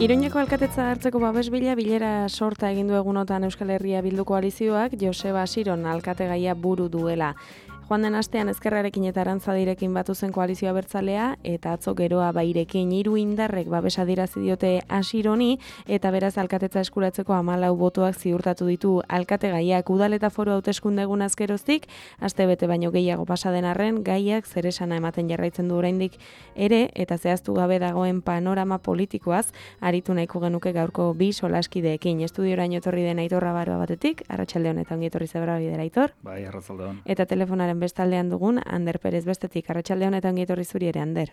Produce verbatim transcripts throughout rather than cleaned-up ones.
Iruñeko alkatetza hartzeko babes bila bilera sorta egin du egunotan Euskal Herria Bildu koalizioak Joseba Asiron alkategaia buru duela. Joan den astean Ezkerrarekin eta Arantzadirekin batu zen koalizio abertzalea eta atzo Geroa Bairekin hiru indarrek babesa adierazi diote Asironi eta beraz alkatetza eskuratzeko hamalau botoak ziurtatu ditu alkategaiak. Udal eta foru hauteskunde egunaz geroztik, aste bete baino gehiago pasa den arren gaiak zeresana ematen jarraitzen du oraindik ere eta zehaztu gabe dagoen panorama politikoaz aritu nahiko genuke gaurko bi solaskideekin. Estudioraino etorri den Aitor Rabaroa batetik, arratsalde honetan ongi etorri zebra bidera Aitor. Bai, arratsalde on. Eta telefonaren bestaldean dugun Ander Perez bestetik, arratsalde honetan ongi etorri zuri ere, Ander.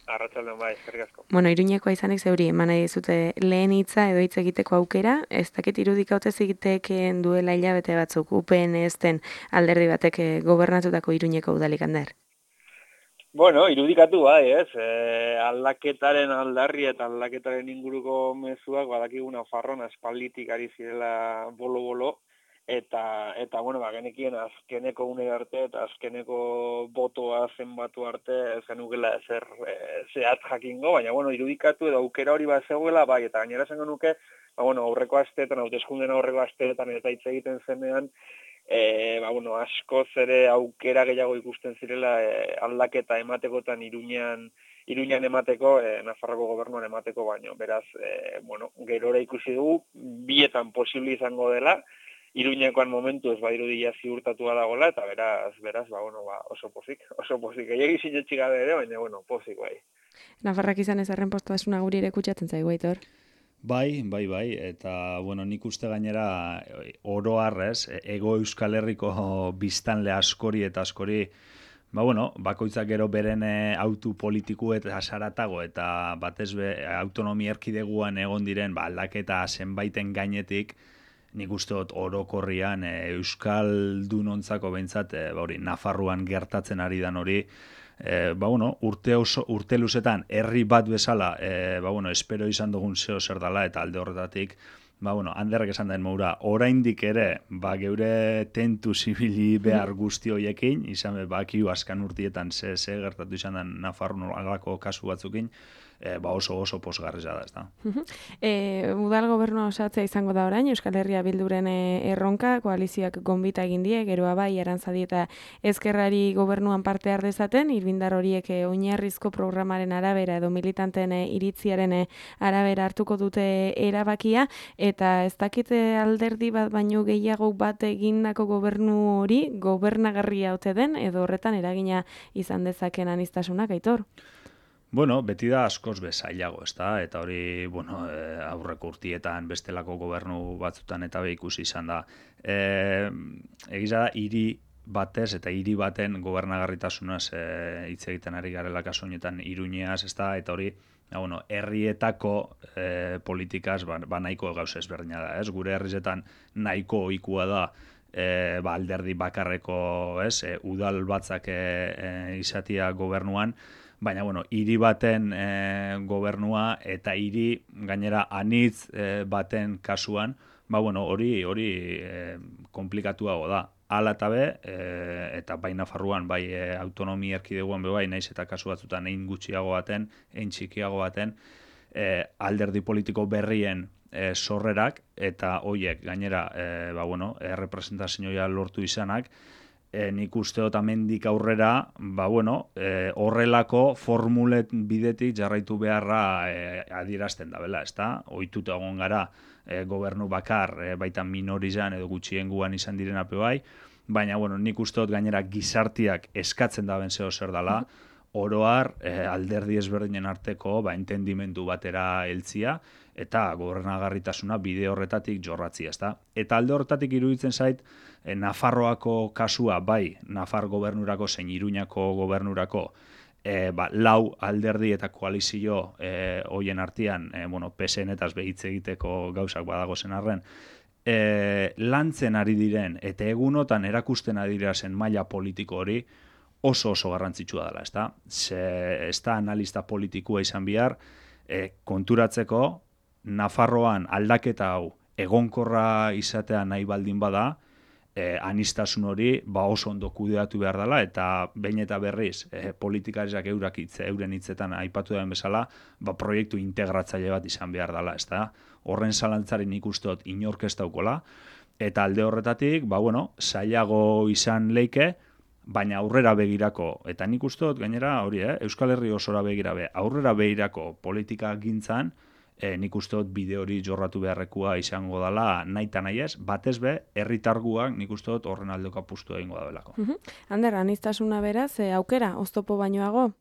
Arratsalde on bai, eskerrik asko. Bueno, Iruñekoa izanik zeuri eman nahi dizute lehen hitza edo hitz egiteko aukera, ez dakit irudika ote zitekeen duela hilabete batzuk U P N ezten alderdi batek gobernatutako Iruñeko udalik, Ander. Bueno, irudikatu bai, ez? E, aldaketaren aldarri eta aldaketaren inguruko mezuak badakigu Nafarroan aspalditik ari zirela bolo-bolo, eta, eta bueno, ba, genekien azkeneko une arte eta azkeneko botoa zenbatu arte ez genukela ezer e, zehat jakingo, baina bueno, irudikatu edo aukera hori bat zegoela, bai, eta gainera esango nuke, ba, bueno, aurreko asteetan, hauteskunden aurreko asteetan eta hitz egiten zenean, E, ba, bueno, askoz ere aukera gehiago ikusten zirela e, aldaketa ematekotan Iruñan, Iruñan emateko, e, Nafarroko gobernuan emateko baino. Beraz, e, bueno, gerora ikusi dugu, bietan posible izango dela, Iruñekoan momentu ez badirudia ziurtatua dagoela, eta beraz, beraz, ba, bueno, ba, oso pozik, oso pozik. Egi sinetxi gabe ere, baina, bueno, pozik bai. Nafarrak izan ez arren postasuna guri ere kutsatzen zaigu, Aitor. Bai, bai, bai, eta, bueno, nik uste gainera oro harrez, ego Euskal Herriko biztanle askori eta askori, ba, bueno, bakoitzak gero beren autu politiku eta saratago, eta batez be, autonomia erkideguan egon diren, ba, aldaketa zenbaiten gainetik, nik uste dut orokorrian Euskal dunontzako behintzat, ba, hori, Nafarroan gertatzen ari dan hori, E, ba, bueno, urte, oso, urte luzetan herri bat bezala e, ba, bueno, espero izan dugun zeo zer dela eta alde horretatik ba, bueno, Anderrek esan den moura oraindik ere ba, geure tentu zibili behar guzti hoiekin izan bakiu askan urtietan ze, ze gertatu izan den Nafarroan alako kasu batzukin E, ba oso oso posgarria da, ezta. E, udal gobernua osatzea izango da orain, Euskal Herria Bilduren erronka, koalizioak gonbita egin die, Geroa Bai, Arantzadi eta Ezkerrari gobernuan parte har dezaten, irbindar horiek oinarrizko programaren arabera edo militanteen iritziaren arabera hartuko dute erabakia, eta ez dakite alderdi bat baino gehiago bat egindako gobernu hori gobernagarria ote den, edo horretan eragina izan dezaken aniztasunak, Aitor? Bueno, beti da askoz bezailago, ezta? Eta hori, bueno, e, aurreko urtietan bestelako gobernu batzutan eta be ikusi izan da. E, egiza da, hiri batez eta hiri baten gobernagarritasunaz e, hitz egiten ari garela kasu honetan Iruñeaz, ezta? Eta hori, ja, bueno, herrietako e, politikaz ba, ba nahiko gauza ezberdina da, ez? Gure herrizetan nahiko ohikoa da e, ba, alderdi bakarreko, ez? E, udal batzak e, e, izatia gobernuan, baina, bueno, hiri baten e, gobernua eta hiri gainera anitz e, baten kasuan, ba, bueno, hori hori e, komplikatuago da. Hala eta be, e, eta bai Nafarroan, bai e, autonomia erkideguan be bai, naiz eta kasu batzutan ein gutxiago baten, ein txikiago baten, e, alderdi politiko berrien e, sorrerak, eta hoiek gainera, e, ba, bueno, errepresentazioa lortu izanak, E, nik uste dut amendik aurrera, ba, bueno, e, horrelako formulet bidetik jarraitu beharra e, adierazten da, bela, ezta? Ohituta egon gara e, gobernu bakar, e, baita minorizan edo gutxienguan izan diren ape bai, baina, bueno, nik uste dut gainera gizartiak eskatzen da ben zeo zer dela, oroar e, alderdi ezberdinen arteko ba, entendimendu batera heltzia, eta gobernagarritasuna bide horretatik jorratzia, ezta? Eta alde horretatik iruditzen zait, e, Nafarroako kasua, bai, Nafar gobernurako zein Iruñako gobernurako, e, ba, lau alderdi eta koalizio e, hoien artean, e, bueno, P S N-etaz behitz egiteko gauzak badago zen arren, e, lantzen ari diren, eta egunotan erakusten ari zen maila politiko hori, oso oso garrantzitsua dela, ezta? Ze, ez da analista politikua izan bihar, e, konturatzeko, Nafarroan aldaketa hau egonkorra izatea nahi baldin bada, eh, anistasun hori ba oso ondo kudeatu behar dela, eta behin eta berriz eh, politikariak eurak hitz, euren hitzetan aipatu den bezala, ba proiektu integratzaile bat izan behar dela, ezta? Horren zalantzaren ikustot inork ez daukola, eta alde horretatik, ba bueno, zailago izan leike, baina aurrera begirako, eta nik ustot, gainera, hori, eh, Euskal Herri osora begirabe, aurrera begirako politika gintzan, e, nik ustot bide hori jorratu beharrekua izango dela nahi eta nahi ez, batez be, herritarguak nik ustot horren aldeko apustu egingo da belako. Uh -huh. Ander, anistasuna beraz, e, aukera, oztopo bainoago?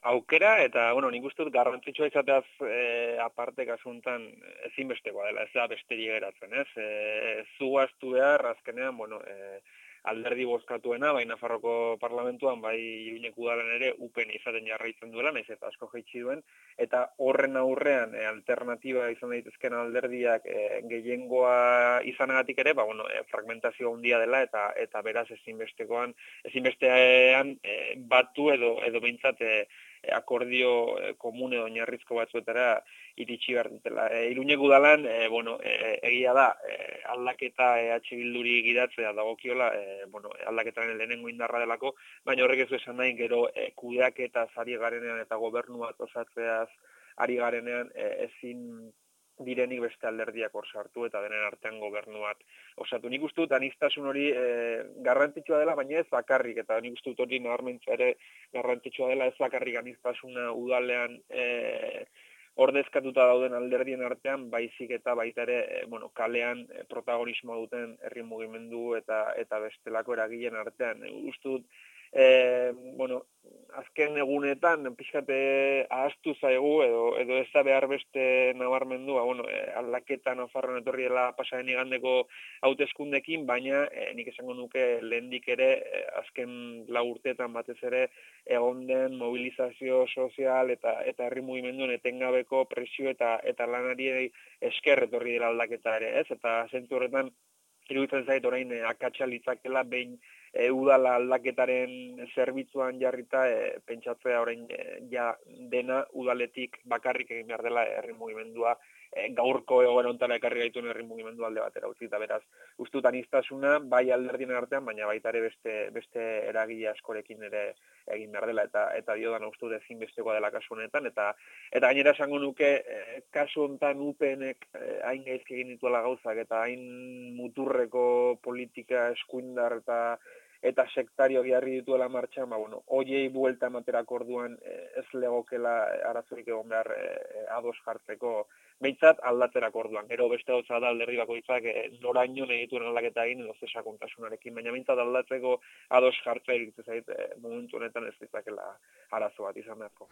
Aukera, eta, bueno, nik uste dut garrantzitsua izateaz e, aparte kasuntan ezinbestekoa dela, ez da besterik geratzen, ez? E, zuaztu behar, azkenean, bueno, e, alderdi bozkatuena, bai Nafarroko parlamentuan, bai Iruñeko udalan ere upen izaten jarraitzen duela, naiz eta asko jaitsi duen, eta horren aurrean e, alternatiba izan daitezken alderdiak e, gehiengoa izanagatik ere, ba, bueno, e, fragmentazio handia dela, eta eta beraz ezinbestekoan, ezinbestean e, batu edo, edo behintzat e, akordio e, komun edo oinarrizko batzuetara iritsi behar dutela. E, Iruñeko udalan, e, bueno, e, egia da, e, aldaketa E H Bilduri gidatzea dagokiola, e, bueno, aldaketaren lehenengo indarra delako, baina horrek ez du esan nahi, gero e, kudeaketaz ari garenean eta gobernua osatzeaz ari garenean e, ezin direnik beste alderdiak hor sartu eta denen artean gobernuat osatu. Nik uste dut anistasun hori e, garrantzitsua dela, baina ez bakarrik, eta nik uste dut hori nabarmentzea ere garrantzitsua dela, ez bakarrik anistasuna udalean e, ordezkatuta dauden alderdien artean, baizik eta baita ere, e, bueno, kalean e, protagonismoa duten herri mugimendu eta eta bestelako eragileen artean. E, uste dut, e, bueno, azken egunetan pixkate ahaztu zaigu edo edo ez da behar beste nabarmendua, bueno, e, aldaketa Nafarroan etorri dela pasaren igandeko hauteskundekin, baina e, nik esango nuke lehendik ere e, azken lau urteetan batez ere egon den mobilizazio sozial eta eta herri mugimenduen etengabeko presio eta eta lanari esker etorri dela aldaketa ere, ez? Eta zentzu horretan iruditzen zait orain e, akatsa litzakela behin e, udala aldaketaren zerbitzuan jarrita e, pentsatzea orain e, ja dena udaletik bakarrik egin behar dela herri mugimendua e, gaurko egoera hontara ekarri gaituen herri mugimendu alde batera utzi, eta beraz uste dut anistasuna bai alderdien artean, baina baita ere beste beste eragile askorekin ere egin behar dela, eta eta diodan uste dut ezinbestekoa dela kasu honetan, eta eta gainera esango nuke e, kasu honetan U P Nek e, hain gaizki egin dituela gauzak eta hain muturreko politika eskuindar eta eta sektario jarri dituela martxan, ba, bueno, hoiei buelta ematerako orduan e, ez legokela arazorik egon behar e, ados jartzeko, behintzat aldatzerako orduan. Gero beste gauza da alderdi bakoitzak e, noraino nahi dituen aldaketa egin edo ze sakontasunarekin, baina behintzat aldatzeko ados jartzea iruditzen zait e, momentu honetan ez ditzakela arazo bat izan beharko.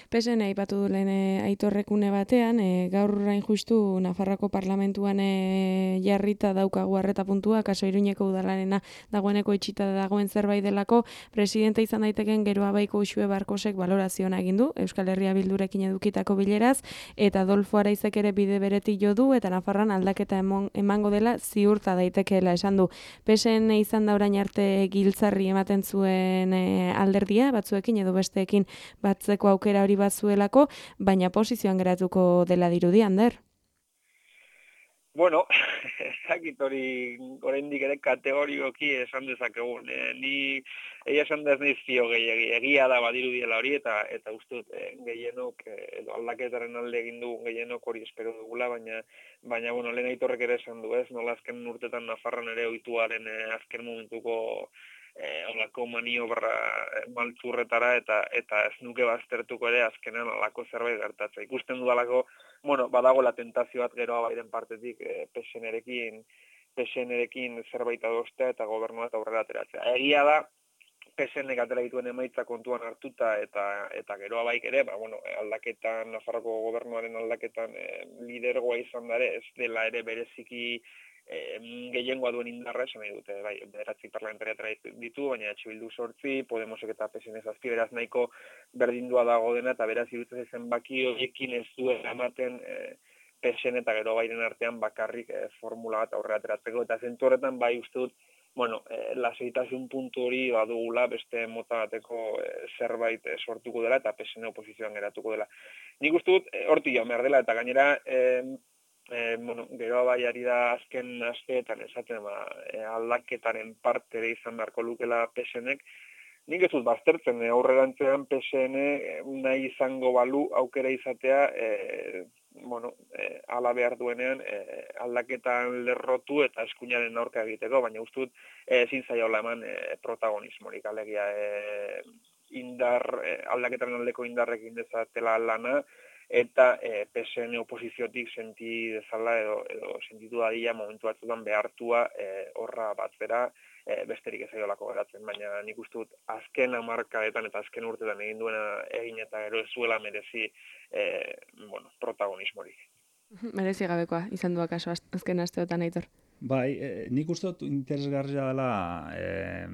P S N aipatu du lehen e, aitorrekune batean, e, gaur orain justu Nafarroako parlamentuan e, jarrita daukagu arreta puntua, kaso Iruñeko udalarena dagoeneko itxita dagoen zerbait delako, presidente izan daiteken Geroa Baiko Uxue Barkosek balorazioa egin du Euskal Herria Bildurekin edukitako bileraz, eta Adolfo Araizek ere bide beretik jo du, eta Nafarroan aldaketa emon, emango dela ziurta daitekeela esan du. P S N izan da orain arte giltzarri ematen zuen e, alderdia, batzuekin edo besteekin batzeko aukera hori batzuelako, baina posizioan geratuko dela dirudi, Ander? Bueno, ezakit hori oraindik ere kategorikoki esan dezakegun. E, ni egia esan da ez nahi zio gehiagi, egia da badirudiela hori, eta eta uste dut e, gehienok edo aldaketaren alde egin du gehienok hori espero dugula, baina baina bueno, lehen aitorrek ere esan du, ez? Nola azken urtetan Nafarroan ere ohituaren e, azken momentuko eh holako maniobra maltzurretara eta eta ez nuke baztertuko ere azkenan holako zerbait gertatzea. Ikusten dudalako, bueno, badago la tentazio bat Geroa Bairen partetik eh, P S N-rekin P S N-rekin zerbait adostea eta gobernua eta aurrera ateratzea. Egia da P S N-ek atera dituen emaitza kontuan hartuta eta eta Geroa Baik ere, ba bueno, aldaketan Nafarroko gobernuaren aldaketan eh, lidergoa izan da ere, ez dela ere bereziki E, gehiengoa duen indarra esan nahi dute, bai, bederatzi parlamentariatara ditu, baina H Bildu sortzi, Podemosek eta P S N zazpi, beraz nahiko berdindua dago dena, eta beraz irutzen zenbaki horiekin ez duela ematen e, P S N eta Geroa Bairen artean bakarrik e, formula bat aurrera ateratzeko, eta zentu horretan bai uste dut, bueno, e, laseitasun puntu hori badugula beste mota bateko e, zerbait e, sortuko dela, eta P S N oposizioan geratuko dela. Nik uste dut, e, hortik joan behar dela, eta gainera, e, e, bueno, gero bai ari da azken asteetan esaten ba, e, aldaketaren parte ere izan beharko lukela P S Nek, nik ez dut baztertzen, e, aurrerantzean P S N nahi izango balu aukera izatea, e, bueno, e, ala behar duenean e, aldaketan lerrotu eta eskuinaren aurka egiteko, baina uste dut e, ezin zaiola eman e, protagonismorik, alegia e, indar, e, aldaketaren aldeko indarrekin dezatela lana, eta e, P S N oposiziotik senti dezala edo, edo sentitu dadila momentu batzutan behartua e, horra bat bera, e, besterik ez aiolako geratzen, baina nik uste dut azken hamarkadetan eta azken urtetan egin duena egin eta gero ez zuela merezi e, bueno, protagonismorik. Merezi gabekoa izan du akaso azken asteotan, Aitor. Bai, e, nik uste dut interesgarria dela e,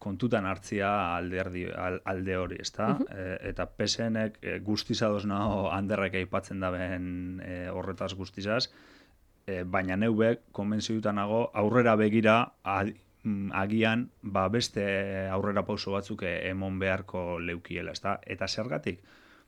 kontutan hartzia alderdi, alde hori, ezta? Uh -huh. e, eta P S Nek e, guztiz ados nago handerrek aipatzen daben e, horretaz guztizaz, e, baina neubek konbentziduta nago aurrera begira ad, agian ba beste aurrera pauso batzuk emon beharko leukiela, ezta? Eta zergatik?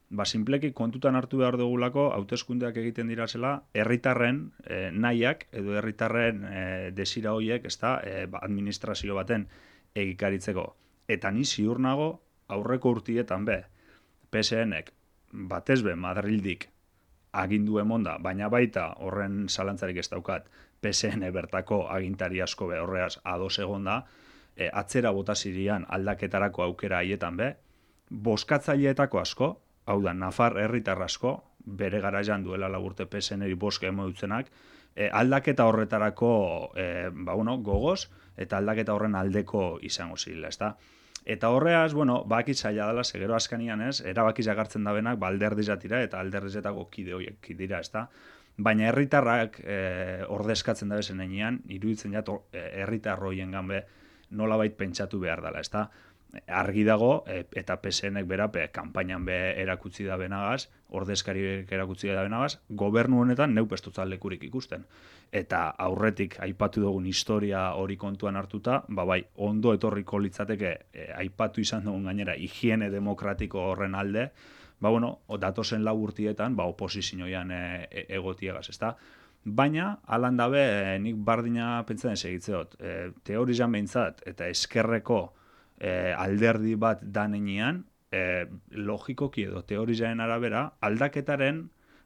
Ba, sinpleki kontutan hartu behar dugulako hauteskundeak egiten dirasela herritarren e, nahiak edo herritarren e, desira horiek, ezta, e, ba, administrazio baten egikaritzeko. Eta ni ziur nago aurreko urtietan be, P S Nek batez be Madrildik agindu emonda, baina baita horren zalantzarik ez daukat, P S N bertako agintari asko be horreaz ados egonda, e, atzera bota zirian aldaketarako aukera haietan be, boskatzaileetako asko, hau da, Nafar herritar asko, bere garaian duela laburte P S Neri boska emodutzenak, e, aldaketa horretarako e, ba, bueno, gogoz, eta aldaketa horren aldeko izango zirela, ezta? Eta horreaz, bueno, bakit zaila dela, segero askanian ez, erabakiz agartzen dabenak, ba, alderdizatira eta alderdizetako kide horiek dira, ezta? Baina herritarrak e, ordezkatzen da bezen enean, iruditzen jat, herritar horien ganbe nolabait pentsatu behar dela, ezta? Argi dago, e, eta P S Nek berape, kanpainan be erakutsi da benagaz, ordezkariek erakutsi da benagaz, gobernu honetan neu pestutza lekurik ikusten. Eta aurretik aipatu dugun historia hori kontuan hartuta, ba bai, ondo etorriko litzateke, e, aipatu izan dugun gainera, higiene demokratiko horren alde, ba bueno, datozen lau urtietan, ba oposizioan e, e, egotiegaz, ezta? Baina, alan dabe, e, nik bardina pentsatzen segitzeot, e, teorizan behintzat, eta eskerreko E, alderdi bat danenean, e, logikoki edo teorizaren arabera, aldaketaren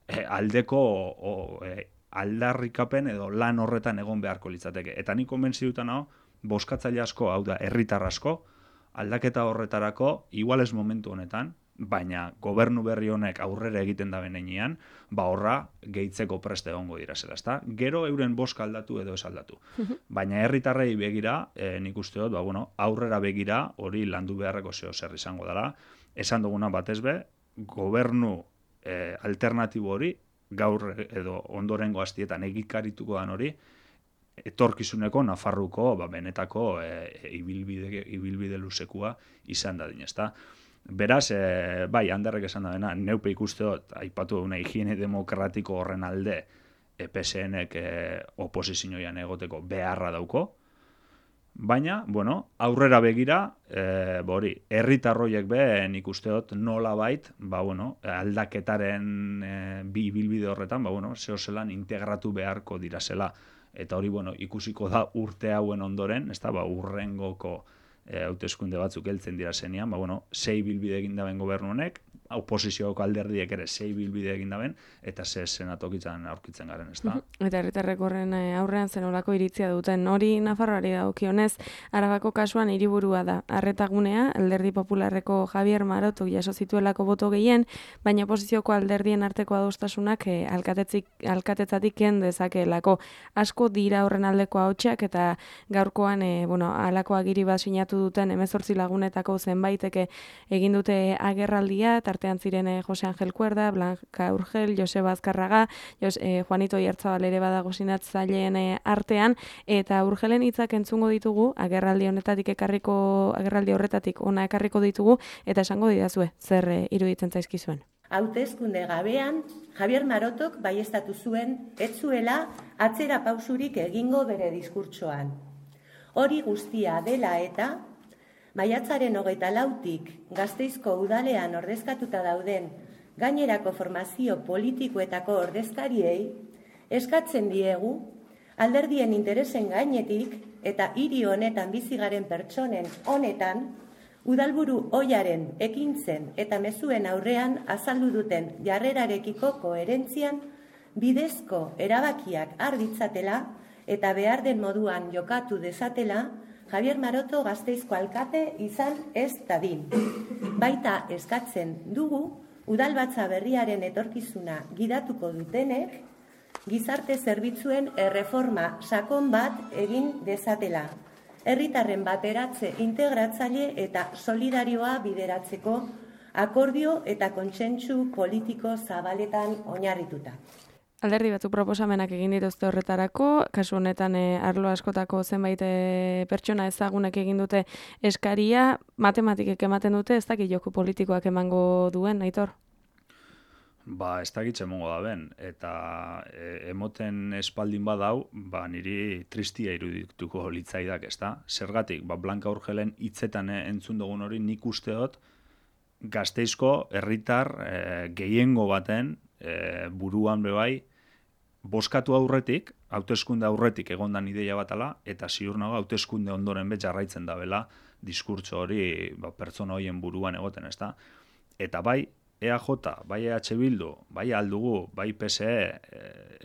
e, aldeko o, e, aldarrikapen edo lan horretan egon beharko litzateke. Eta nik konbentzidutan hau, boskatzaile asko, hau da, herritar asko, aldaketa horretarako, igual ez momentu honetan, baina gobernu berri honek aurrera egiten da benean, ba horra gehitzeko preste egongo dira zela, ezta? Gero euren boska aldatu edo ez aldatu. Baina herritarrei begira, e, nik uste dut, ba, bueno, aurrera begira hori landu beharreko zeo zer izango dela. Esan duguna batez be, gobernu e, alternatibo hori, gaur edo ondorengo hastietan egikarituko dan hori, etorkizuneko Nafarruko ba, benetako e, ibilbide, ibilbide luzekua izan dadin, ezta? Beraz, e, bai, handerrek esan da dena, neupe ikusteot, aipatu duna higiene demokratiko horren alde e, P S Nek e, oposizioan egoteko beharra dauko, baina, bueno, aurrera begira, e, bori, herritarroiek be, nik usteot nola bait, ba, bueno, aldaketaren e, bi bilbide horretan, ba, bueno, zeo zelan integratu beharko dirasela. Eta hori, bueno, ikusiko da urte hauen ondoren, ez da, ba, urrengoko E, hauteskunde batzuk heltzen dira zenean, ba, bueno, sei bilbide egin daben gobernu honek, oposizioko alderdiek ere sei bilbide egin daben, eta ze senatokitzen aurkitzen garen, ez da? Eta herritarrek horren aurrean zenolako iritzia duten. Hori Nafarroari dagokionez, Arabako kasuan hiriburua da. Arretagunea, alderdi popularreko Javier Marotok jaso zituelako boto gehien, baina oposizioko alderdien arteko adostasunak e, alkatetzatik ken dezakeelako. Asko dira horren aldeko ahotsak eta gaurkoan, e, bueno, halako agiri bat sinatu duten hemezortzi lagunetako zenbaiteke egin dute agerraldia, tartean ziren eh, Jose Angel Cuerda, Blanca Urgel, Joseba Azkarraga, Jos, eh, Juanito Iertzabal ere badago sinatzaileen eh, artean, eta Urgelen hitzak entzungo ditugu, agerraldi honetatik ekarriko, agerraldi horretatik ona ekarriko ditugu, eta esango didazue, zer eh, iruditzen zaizkizuen. Hauteskunde gabean, Javier Marotok baiestatu zuen, ez zuela atzera pausurik egingo bere diskurtsoan. Hori guztia dela eta, maiatzaren hogeita lautik Gasteizko udalean ordezkatuta dauden gainerako formazio politikoetako ordezkariei Eskatzen diegu, alderdien interesen gainetik eta hiri honetan bizigaren pertsonen honetan, udalburu oiaren ekintzen eta mezuen aurrean azaldu duten jarrerarekiko koherentzian bidezko erabakiak har ditzatela eta behar den moduan jokatu dezatela Javier Maroto Gasteizko alkate izan ez dadin. Baita eskatzen dugu udalbatza berriaren etorkizuna gidatuko dutenek gizarte zerbitzuen erreforma sakon bat egin dezatela. Herritarren bateratze integratzaile eta solidarioa bideratzeko akordio eta kontsentsu politiko zabaletan oinarrituta. Alderdi batzu proposamenak egin dituzte horretarako, kasu honetan e, arlo askotako zenbait e, pertsona ezagunek egin dute eskaria, matematikek ematen dute, ez dakit joko politikoak emango duen, Aitor? Ba, ez dakit emongo da ben, eta e, emoten espaldin badau, ba, niri tristia irudituko litzaidak, ez da? Zergatik, ba, Blanca Urgelen hitzetan entzun dugun hori nik usteot Gasteizko herritar e, gehiengo baten e, buruan bebai, boskatu aurretik, hauteskunde aurretik egondan ideia batala, eta ziur nago hauteskunde ondoren bet jarraitzen dabela diskurtso hori ba, pertsona horien buruan egoten, ez da? Eta bai, E A J, bai E H Bildu, bai Aldugu, bai P S E,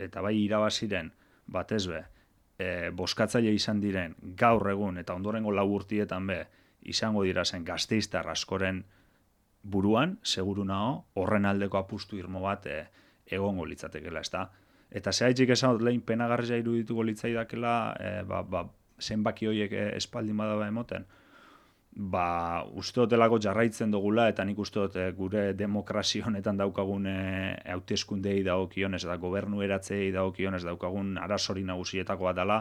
eta bai irabaziren batez be, e, boskatzaile izan diren gaur egun eta ondorengo lau urtietan be izango dira zen gasteiztar askoren buruan, seguru nao, horren aldeko apustu irmo bat e, egongo litzatekela, ez da? Eta zehaitik esan dut lehen penagarria irudituko litzaidakela, e, ba, ba, zenbaki horiek e, espaldin badaba emoten, ba, uste dotelako jarraitzen dugula, eta nik uste dut gure demokrazio honetan daukagun hauteskundei dagokionez eta gobernu eratzei dagokionez daukagun arazori nagusietako bat dela,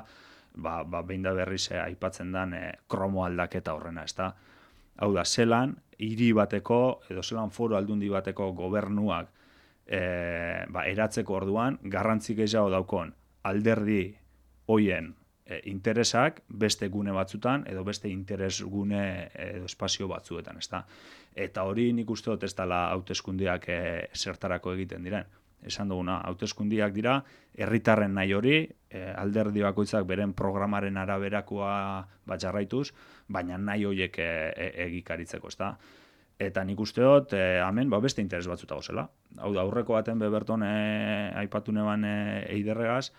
ba, ba, behin da berriz eh, aipatzen den eh, kromo aldaketa horrena, ezta? Hau da, zelan, hiri bateko, edo zelan foro aldundi bateko gobernuak eh, ba, eratzeko orduan, garrantzik gehiago daukon alderdi hoien interesak beste gune batzutan edo beste interes gune edo espazio batzuetan, ezta? Eta hori nik uste dut ez dela hauteskundiak e, zertarako egiten diren. Esan duguna, hauteskundiak dira herritarren nahi hori, e, alderdi bakoitzak beren programaren araberakoa bat jarraituz, baina nahi horiek e, e, egikaritzeko, ezta? Eta nik uste dut, e, hemen ba, beste interes batzuta gozela. Hau da, aurreko baten beberton e, aipatu neban e, eiderregaz,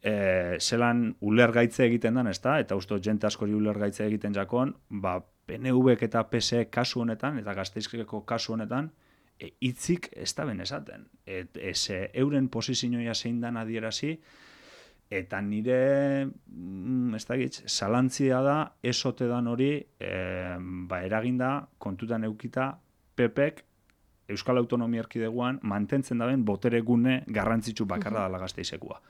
E, zelan ulergaitze egiten den, ezta? Eta uste jente askori ulergaitze egiten jakon, ba, P N Vek eta P S E kasu honetan, eta Gasteizko kasu honetan, e, hitzik ez da ben esaten. Et, ez, euren posizioa zein dan adierazi, eta nire, mm, ez da gitz, zalantzia da, esote dan hori, e, ba, eraginda, kontutan eukita, P Pek, Euskal Autonomia Erkidegoan, mantentzen daben botere gune garrantzitsu bakarra dela Gasteizekua.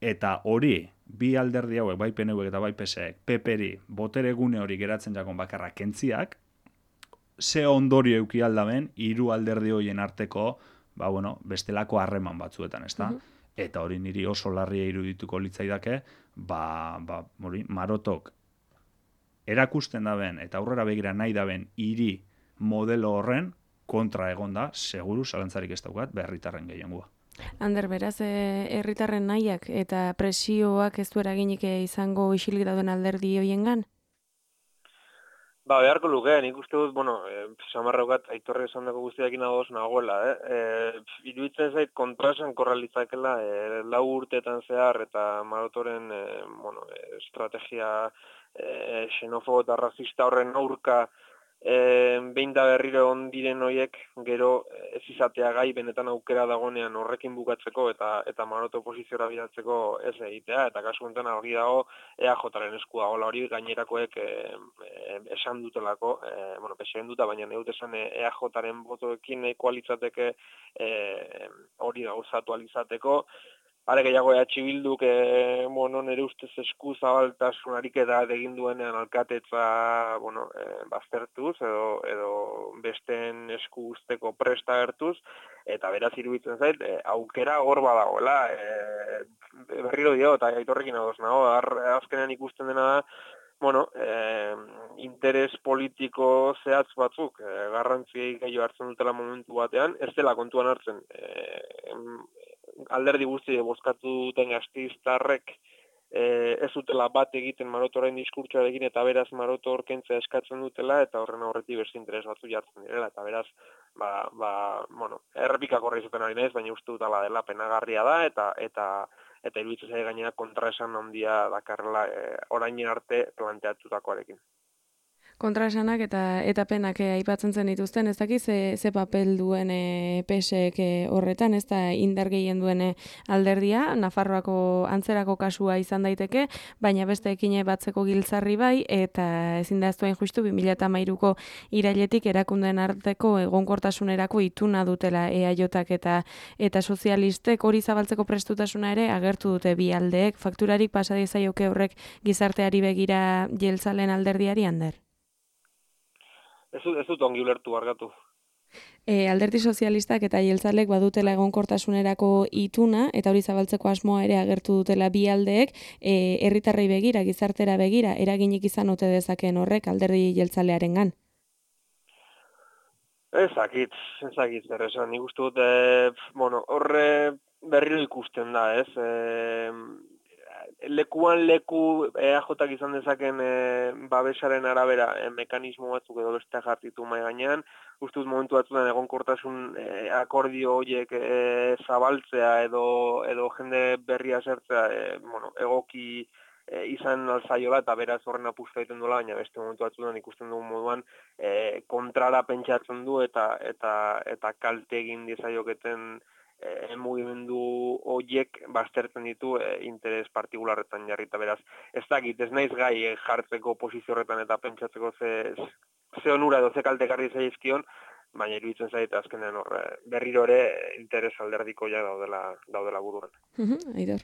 Eta hori, bi alderdi hauek, bai P N V eta bai P S E, P P-ri botere gune hori geratzen jakon bakarra kentziak, ze ondorio euki aldaben, hiru alderdi horien arteko, ba, bueno, bestelako harreman batzuetan, ezta? Uh-huh. Eta hori niri oso larria irudituko litzaidake, ba, ba, hori, Marotok erakusten daben eta aurrera begira nahi daben hiri modelo horren kontra egonda, seguru, zalantzarik ez daukat, herritarren gehiengoa. Ander, beraz, herritarren nahiak eta presioak ez du eraginik izango isilik dauden alderdi hoiengan? Ba, beharko luke, nik uste dut, bueno, e, samarraukat aitorre esan dago guztiakin adoz nagoela, eh? E, iruditzen zait kontrasan korralitzakela e, lau urteetan zehar eta Marotoren e, bueno, e, estrategia e, xenofobo eta rasista horren aurka E, behin da berriro ondiren horiek gero ez izatea gai benetan aukera dagonean horrekin bukatzeko eta eta Maroto posiziora bidatzeko ez egitea, eta kasu honetan argi dago E A Jaren eskua hola hori gainerakoek e, e, esan dutelako, e, bueno, pesen duta, baina neut esan E A Jaren botoekin ekualitzateke e, hori gauzatu alizateko. Are gehiago E H Bilduk, e, bueno, nire ustez esku zabaltasunarik eta egin duenean alkatetza, bueno, e, baztertuz edo, edo besteen esku usteko presta gertuz, eta beraz iruditzen zait, e, aukera hor badagoela, e, berriro dio, eta aitorrekin adoz nago, azkenean ikusten dena da, bueno, eh, interes politiko zehatz batzuk, eh, garrantziei gehiago hartzen dutela momentu batean, ez dela kontuan hartzen, eh, alderdi guzti bozkatu duten gasteiztarrek e, ez dutela bat egiten Marotoren diskurtsoarekin eta beraz Maroto orkentzea eskatzen dutela eta horren aurretik beste interes batzu jartzen direla eta beraz ba, ba, bueno, errepikak horre izaten ari naiz, baina uste dutela dela penagarria da eta eta eta iruditzen zaie gainera kontraesan handia dakarrela e, orain arte planteatutakoarekin. Kontraesanak eta eta penak eh, aipatzen zen dituzten, ez dakiz ze, ze papel duen eh, P S ek eh, horretan, ez da indar gehien duen eh, alderdia, Nafarroako antzerako kasua izan daiteke, baina beste ekine batzeko giltzarri bai, eta ezin da eztuen justu bi mila hamairuko irailetik erakundeen arteko egonkortasunerako ituna dutela E A Jak eta eta sozialistek hori zabaltzeko prestutasuna ere agertu dute bi aldeek, fakturarik pasa diezaioke horrek gizarteari begira jeltzalen alderdiari Ander. Ez dut, ez dut ongi ulertu argatu. E, alderdi sozialistak eta jeltzalek badutela egonkortasunerako ituna, eta hori zabaltzeko asmoa ere agertu dutela bi aldeek, e, herritarrei begira, gizartera begira, eraginik izan ote dezakeen horrek alderdi jeltzalearengan. Ezakit, ezakit, zer esan, nik uste dut, e, bueno, horre berriro ikusten da, ez? E, lekuan leku E A Jak izan dezaken e, babesaren arabera e, mekanismo batzuk edo beste jartitu mai gainean, uste dut momentu batzutan egonkortasun e, akordio horiek e, zabaltzea edo edo jende berria zertzea e, bueno, egoki e, izan alzaiola eta beraz horren apustu egiten duela, baina beste momentu batzutan ikusten dugun moduan e, kontrara pentsatzen du eta eta eta kalte egin diezaioketen E, mugimendu horiek baztertzen ditu e, interes partikularretan jarrita beraz. Ez dakit, ez naiz gai e, jartzeko posizio horretan eta pentsatzeko ze, ze onura edo ze kalte garri zaizkion, baina iruditzen zaite azkenean hor berriro ere interes alderdiko ja daudela, daudela buruan. Uh-huh, Aidor.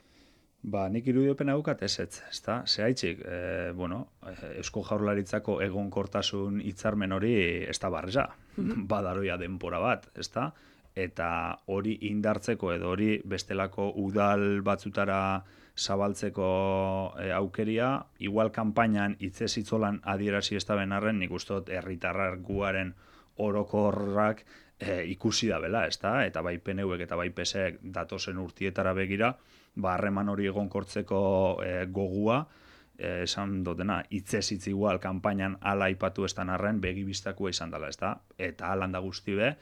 Ba, nik irudiopen haukat ez ez, ezta? Zehaitzik, e, bueno, Eusko Jaurlaritzako egonkortasun hitzarmen hori ez da barreza, uh-huh. Badaroia denpora bat, ezta? Eta hori indartzeko edo hori bestelako udal batzutara zabaltzeko e, aukeria, igual kanpainan hitzez hitzolan adierazi ez da benarren, nik uste dut herritarrak guaren orokorrak e, ikusi da bela, ezta? Eta bai P N Vek eta bai P S ek datozen urtietara begira, ba harreman hori egonkortzeko e, gogua, e, esan dutena, hitzez hitz igual kanpainan hala aipatu ez arren begibistakua izan dela, ezta? Eta halan da guzti be,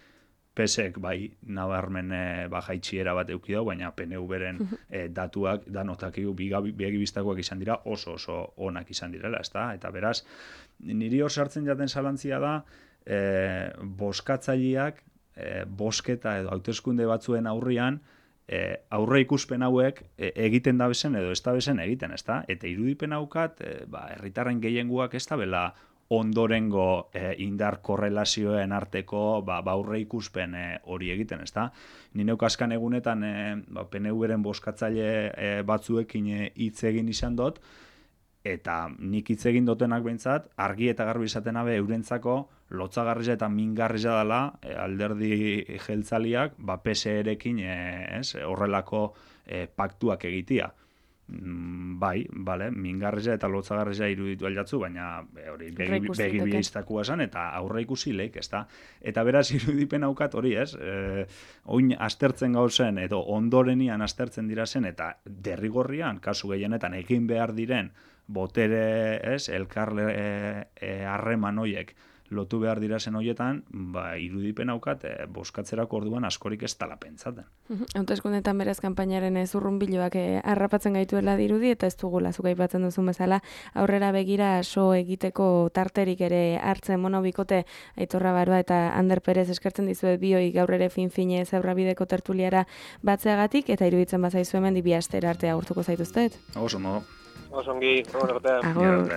P S ek bai nabarmen e, bajaitxiera bat eduki dau, baina P N Vren e, datuak danotakigu begibistakoak izan dira oso oso onak izan direla, ezta? Eta beraz, niri hor sartzen jaten zalantzia da, e, boskatzaileak e, bosketa edo hauteskunde batzuen aurrian e, aurre ikuspen hauek e, egiten da bezen edo ez da bezen egiten, ezta? Eta irudipen haukat, e, ba, herritarren gehienguak ez da bela ondorengo e, indar korrelazioen arteko ba, ba aurre ikuspen e, hori egiten, ezta? Ni neuk azkan egunetan e, ba, P N Vren boskatzaile e, batzuekin hitz e, egin izan dut, eta nik hitz egin dutenak behintzat, argi eta garbi izaten abe eurentzako lotzagarria eta mingarria dela e, alderdi jeltzaliak ba, P S erekin e, ez, horrelako e, paktuak egitea. Bai, bale, mingarria eta lotzagarria iruditu aljatzu, baina hori begi bihiztakua esan eta aurre ikusi leik, ezta? Eta beraz irudipen haukat hori, ez? E, oin astertzen gauzen edo ondorenian astertzen dira zen eta derrigorrian, kasu gehienetan egin behar diren botere, ez? Elkarle harreman e, hoiek lotu behar dira zen hoietan, ba, irudipen haukat e, boskatzerako orduan askorik ez tala pentsaten. Hauteskundetan beraz kanpainaren zurrunbiloak e, harrapatzen gaituela dirudi eta ez dugula zuk aipatzen duzun bezala aurrera begira so egiteko tarterik ere hartzen monobikote Aitor Rabaroa eta Ander Perez eskertzen dizuet bioi gaur ere fin-fine Zebrabideko tertuliara batzeagatik eta iruditzen bazaizu hemen bi astera arte agurtuko zaituztet. Oso, no. Osongi, horregatea. Agur.